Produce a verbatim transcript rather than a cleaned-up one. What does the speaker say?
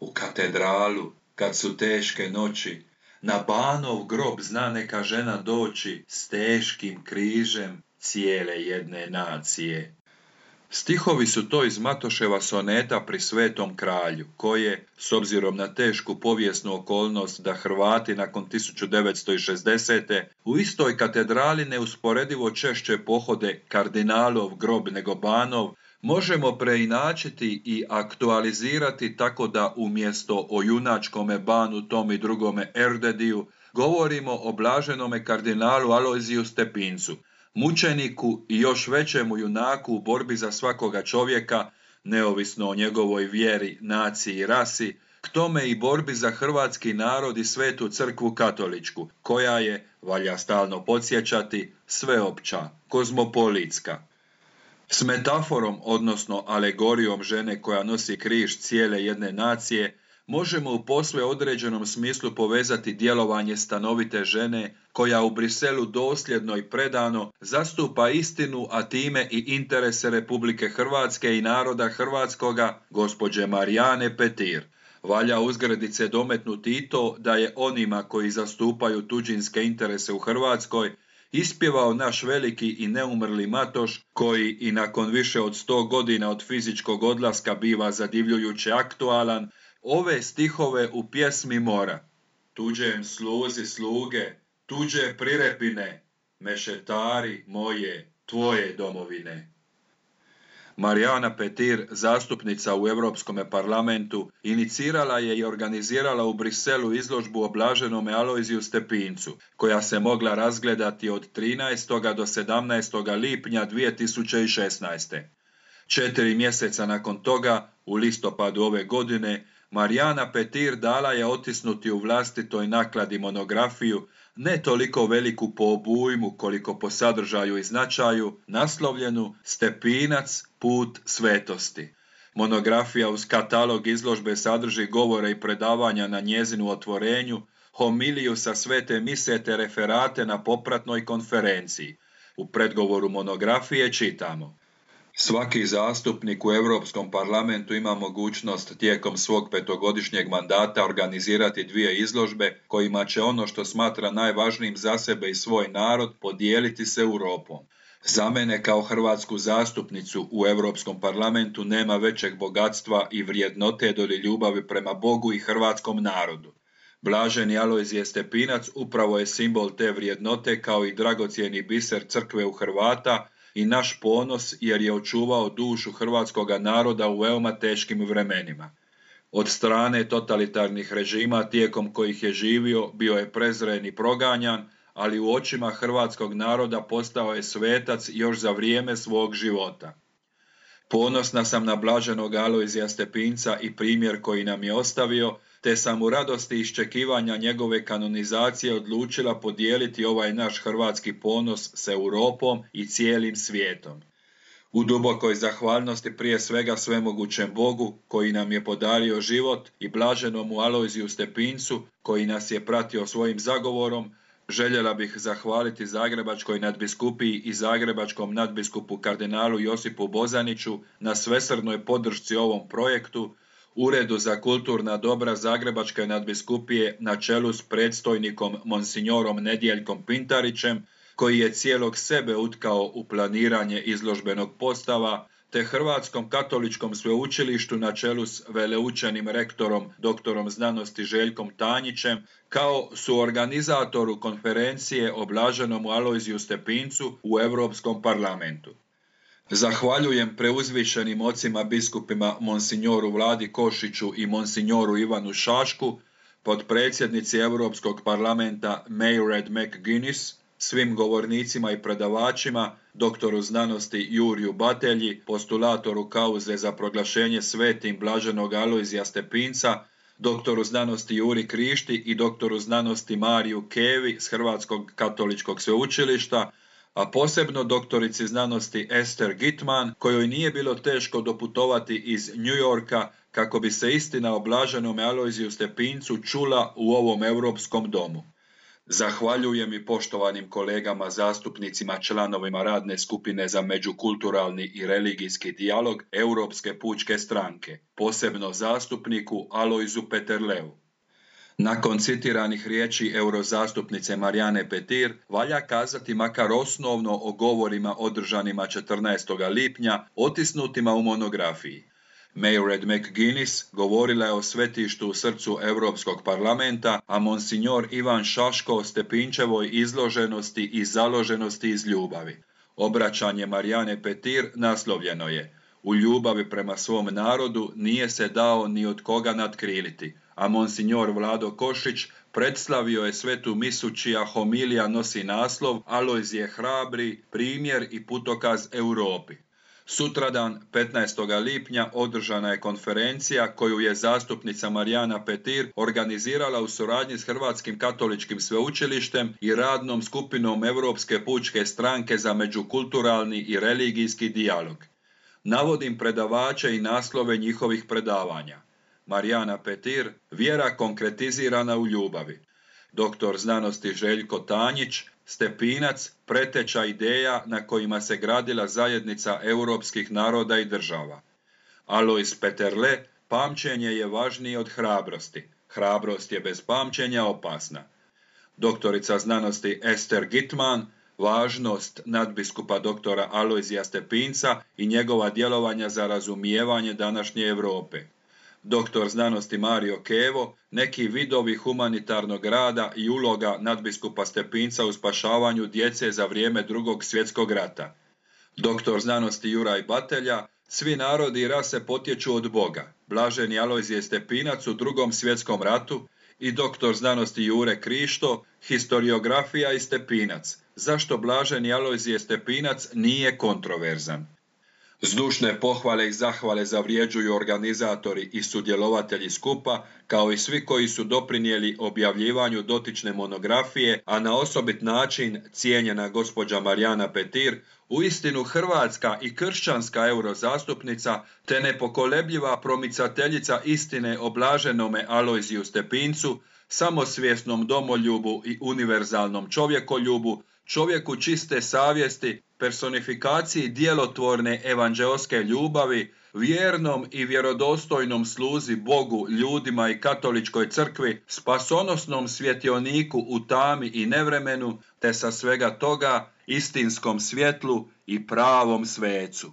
u katedralu, kad su teške noći, na Banov grob zna neka žena doći s teškim križem cijele jedne nacije. Stihovi su to iz Matoševa soneta pri Svetom kralju, koje, s obzirom na tešku povijesnu okolnost da Hrvati nakon tisuću devetsto šezdesete. u istoj katedrali neusporedivo češće pohode kardinalov grob nego Banov, možemo preinačiti i aktualizirati tako da umjesto o junačkome Banu tom i drugome Erdediju govorimo o blaženome kardinalu Alojziju Stepincu, mučeniku i još većemu junaku u borbi za svakoga čovjeka, neovisno o njegovoj vjeri, naciji i rasi, k tome i borbi za hrvatski narod i svetu crkvu katoličku, koja je, valja stalno podsjećati, sveopća, kozmopolitska. S metaforom, odnosno alegorijom žene koja nosi križ cijele jedne nacije, možemo u posve određenom smislu povezati djelovanje stanovite žene koja u Briselu dosljedno i predano zastupa istinu, a time i interese Republike Hrvatske i naroda hrvatskoga, gospođe Marijane Petir. Valja uzgradice dometnuti i to da je onima koji zastupaju tuđinske interese u Hrvatskoj ispjevao naš veliki i neumrli Matoš, koji i nakon više od sto godina od fizičkog odlaska biva zadivljujuće aktualan, ove stihove u pjesmi Mora. Tuđem sluzi sluge, tuđe prirepine, mešetari moje, tvoje domovine. Marijana Petir, zastupnica u Europskom parlamentu, inicirala je i organizirala u Briselu izložbu o blaženome Alojziju Stepincu, koja se mogla razgledati od trinaestog do sedamnaestog lipnja dvije tisuće šesnaeste. Četiri mjeseca nakon toga, u listopadu ove godine, Marijana Petir dala je otisnuti u vlastitoj nakladi monografiju, ne toliko veliku po obujmu koliko po sadržaju i značaju, naslovljenu Stepinac, put svetosti. Monografija uz katalog izložbe sadrži govore i predavanja na njezinu otvorenju, homiliju sa svete mise te referate na popratnoj konferenciji. U predgovoru monografije čitamo: svaki zastupnik u Europskom parlamentu ima mogućnost tijekom svog petogodišnjeg mandata organizirati dvije izložbe kojima će ono što smatra najvažnijim za sebe i svoj narod podijeliti s Europom. Za mene kao hrvatsku zastupnicu u Europskom parlamentu nema većeg bogatstva i vrijednote doli ljubavi prema Bogu i hrvatskom narodu. Blaženi Alojzije Stepinac upravo je simbol te vrijednote kao i dragocjeni biser crkve u Hrvata i naš ponos jer je očuvao dušu hrvatskoga naroda u veoma teškim vremenima. Od strane totalitarnih režima tijekom kojih je živio bio je prezren i proganjan, ali u očima hrvatskog naroda postao je svetac još za vrijeme svog života. Ponosna sam na blaženog Alojzija Stepinca i primjer koji nam je ostavio, te sam u radosti iščekivanja njegove kanonizacije odlučila podijeliti ovaj naš hrvatski ponos s Europom i cijelim svijetom. U dubokoj zahvalnosti prije svega svemogućem Bogu koji nam je podario život i blaženomu Alojziju Stepincu koji nas je pratio svojim zagovorom, željela bih zahvaliti Zagrebačkoj nadbiskupiji i Zagrebačkom nadbiskupu kardinalu Josipu Bozaniću na svesrdnoj podršci ovom projektu, Uredu za kulturna dobra Zagrebačke nadbiskupije na čelu s predstojnikom monsignorom Nedjeljkom Pintarićem, koji je cijelog sebe utkao u planiranje izložbenog postava, te Hrvatskom katoličkom sveučilištu na čelu s veleučenim rektorom doktorom znanosti Željkom Tanjićem, kao suorganizatoru konferencije o blaženomu Alojziju Stepincu u Europskom parlamentu. Zahvaljujem preuzvišenim ocima biskupima monsignoru Vladi Košiću i monsignoru Ivanu Šašku, potpredsjednici Europskog parlamenta Mairead McGuinness, svim govornicima i predavačima, doktoru znanosti Juriju Batelji, postulatoru kauze za proglašenje svetim blaženog Alojzija Stepinca, doktoru znanosti Juri Krišti i doktoru znanosti Mariju Kevi s Hrvatskog katoličkog sveučilišta, a posebno doktorici znanosti Ester Gitman, kojoj nije bilo teško doputovati iz New Yorka kako bi se istina o blaženome Alojziju Stepincu čula u ovom europskom domu. Zahvaljujem i poštovanim kolegama zastupnicima članovima radne skupine za međukulturalni i religijski dijalog Europske pučke stranke, posebno zastupniku Alojzu Peterleu. Nakon citiranih riječi eurozastupnice Marijane Petir, valja kazati makar osnovno o govorima održanima četrnaestog lipnja otisnutima u monografiji. Mairead McGuinness govorila je o svetištu u srcu Europskog parlamenta, a monsignor Ivan Šaško o Stepinčevoj izloženosti i založenosti iz ljubavi. Obraćanje Marijane Petir naslovljeno je: U ljubavi prema svom narodu nije se dao ni od koga natkriliti, a monsignor Vlado Košić predslavio je svetu misu čija homilija nosi naslov Alojzije hrabri, primjer i putokaz Europi. Sutradan, petnaestog lipnja, održana je konferencija koju je zastupnica Marijana Petir organizirala u suradnji s Hrvatskim katoličkim sveučilištem i radnom skupinom Europske pučke stranke za međukulturalni i religijski dijalog. Navodim predavače i naslove njihovih predavanja. Marijana Petir, vjera konkretizirana u ljubavi. Doktor znanosti Željko Tanjić, Stepinac, preteča ideja na kojima se gradila zajednica europskih naroda i država. Alojz Peterle, pamćenje je važnije od hrabrosti. Hrabrost je bez pamćenja opasna. Doktorica znanosti Ester Gitman, važnost nadbiskupa doktora Alojzija Stepinca i njegova djelovanja za razumijevanje današnje Europe. Doktor znanosti Mario Kevo, neki vidovi humanitarnog rada i uloga nadbiskupa Stepinca u spašavanju djece za vrijeme Drugog svjetskog rata. Doktor znanosti Juraj Batelja, svi narodi i rase potječu od Boga, blaženi Alojzije Stepinac u Drugom svjetskom ratu, i doktor znanosti Jure Krišto, historiografija i Stepinac, zašto blaženi Alojzije Stepinac nije kontroverzan. Zdušne pohvale i zahvale zavrjeđuju organizatori i sudjelovatelji skupa, kao i svi koji su doprinijeli objavljivanju dotične monografije, a na osobit način cijenjena gospođa Marijana Petir, uistinu hrvatska i kršćanska eurozastupnica, te nepokolebljiva promicateljica istine o blaženome Alojziju Stepincu, samosvjesnom domoljubu i univerzalnom čovjekoljubu, čovjeku čiste savjesti, personifikaciji djelotvorne evanđeoske ljubavi, vjernom i vjerodostojnom sluzi Bogu, ljudima i katoličkoj crkvi, spasonosnom svjetioniku u tami i nevremenu, te sa svega toga istinskom svjetlu i pravom svecu.